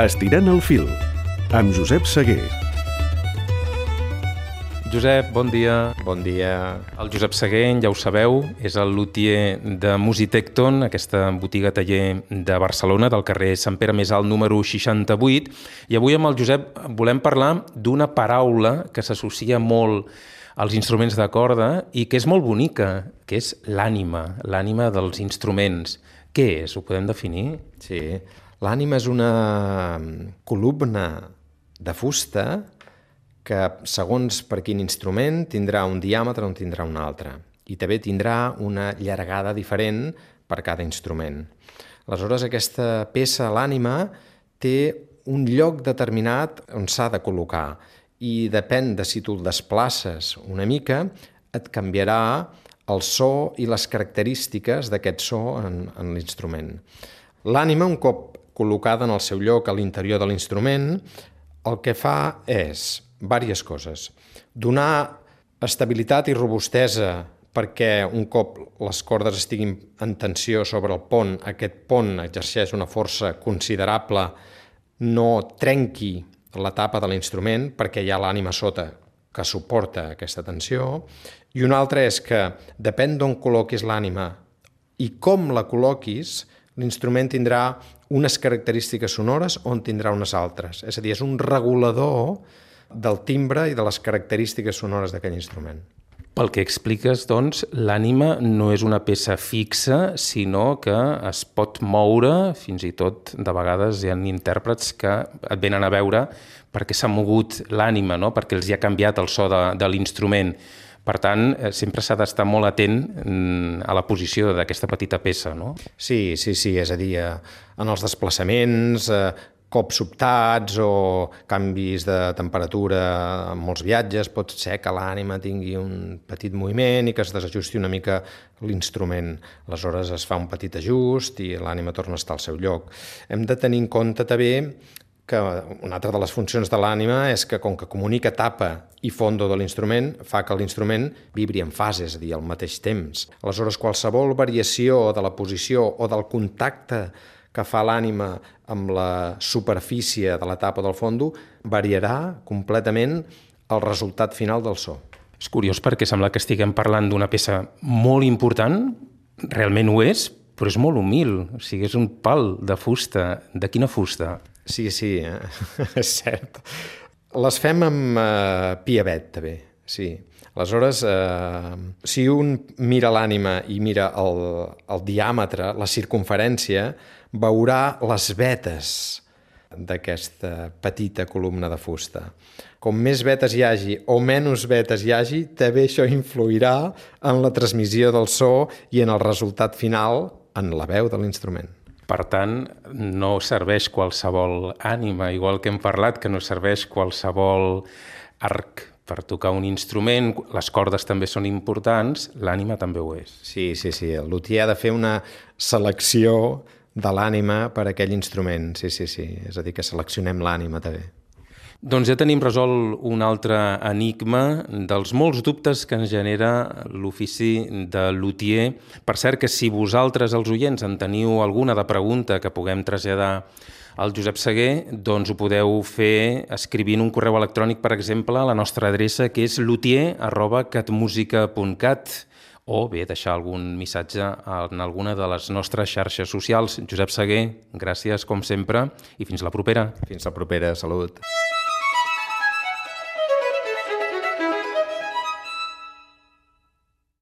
Estirant el fil, amb Josep Seguer. Josep, bon dia. Bon dia. El Josep Seguer, ja ho sabeu, és el luthier de Musitecton, aquesta botiga-taller de Barcelona, del carrer Sant Pere Més Alt, número 68. I avui amb el Josep volem parlar d'una paraula que s'associa molt als instruments de corda i que és molt bonica, que és l'ànima, l'ànima dels instruments. Què és? Ho podem definir? Sí. L'ànima és una columna de fusta que, segons per quin instrument, tindrà un diàmetre o en tindrà un altre. I també tindrà una llargada diferent per cada instrument. Aleshores, aquesta peça, l'ànima, té un lloc determinat on s'ha de col·locar i depèn de si tu el desplaces una mica, et canviarà el so i les característiques d'aquest so en l'instrument. L'ànima, un cop col·locada en el seu lloc a l'interior de l'instrument, el que fa és diverses coses. Donar estabilitat i robustesa perquè un cop les cordes estiguin en tensió sobre el pont, aquest pont exerceix una força considerable, no trenqui la tapa de l'instrument perquè hi ha l'ànima sota que suporta aquesta tensió. I una altra és que depèn d'on col·loquis l'ànima i com la col·loquis, l'instrument tindrà unes característiques sonores o en tindrà unes altres. És a dir, és un regulador del timbre i de les característiques sonores d'aquell instrument. Pel que expliques, doncs, l'ànima no és una peça fixa, sinó que es pot moure, fins i tot, de vegades hi ha intèrprets que et venen a veure perquè s'ha mogut l'ànima, no? Perquè els hi ha canviat el so de l'instrument. Per tant, sempre s'ha d'estar molt atent a la posició d'aquesta petita peça, no? Sí, és a dir, en els desplaçaments, cops sobtats o canvis de temperatura en molts viatges, pot ser que l'ànima tingui un petit moviment i que es desajusti una mica l'instrument. Aleshores es fa un petit ajust i l'ànima torna a estar al seu lloc. Hem de tenir en compte també que una altra de les funcions de l'ànima és que, com que comunica tapa i fondo de l'instrument, fa que l'instrument vibri en fase, és a dir, al mateix temps. Aleshores, qualsevol variació de la posició o del contacte que fa l'ànima amb la superfície de la tapa del fondo variarà completament el resultat final del so. És curiós perquè sembla que estiguem parlant d'una peça molt important, realment ho és, però és molt humil, o sigui, és un pal de fusta. De quina fusta? Sí, és cert. Les fem amb piavet, també, sí. Aleshores, si un mira l'ànima i mira el diàmetre, la circumferència, veurà les vetes d'aquesta petita columna de fusta. Com més vetes hi hagi o menys vetes hi hagi, també això influirà en la transmissió del so i en el resultat final en la veu de l'instrument. Per tant, no serveix qualsevol ànima, igual que hem parlat, que no serveix qualsevol arc per tocar un instrument, les cordes també són importants, l'ànima també ho és. Sí, el luthier ha de fer una selecció de l'ànima per a aquell instrument, sí, és a dir, que seleccionem l'ànima també. Doncs ja tenim resolt un altre enigma dels molts dubtes que ens genera l'ofici de luthier. Per cert que si vosaltres, els oients, en teniu alguna de pregunta que puguem traslladar al Josep Seguer, doncs ho podeu fer escrivint un correu electrònic, per exemple, a la nostra adreça, que és luthier@catmusica.cat, o bé deixar algun missatge en alguna de les nostres xarxes socials. Josep Seguer, gràcies com sempre i fins la propera. Fins la propera, salut.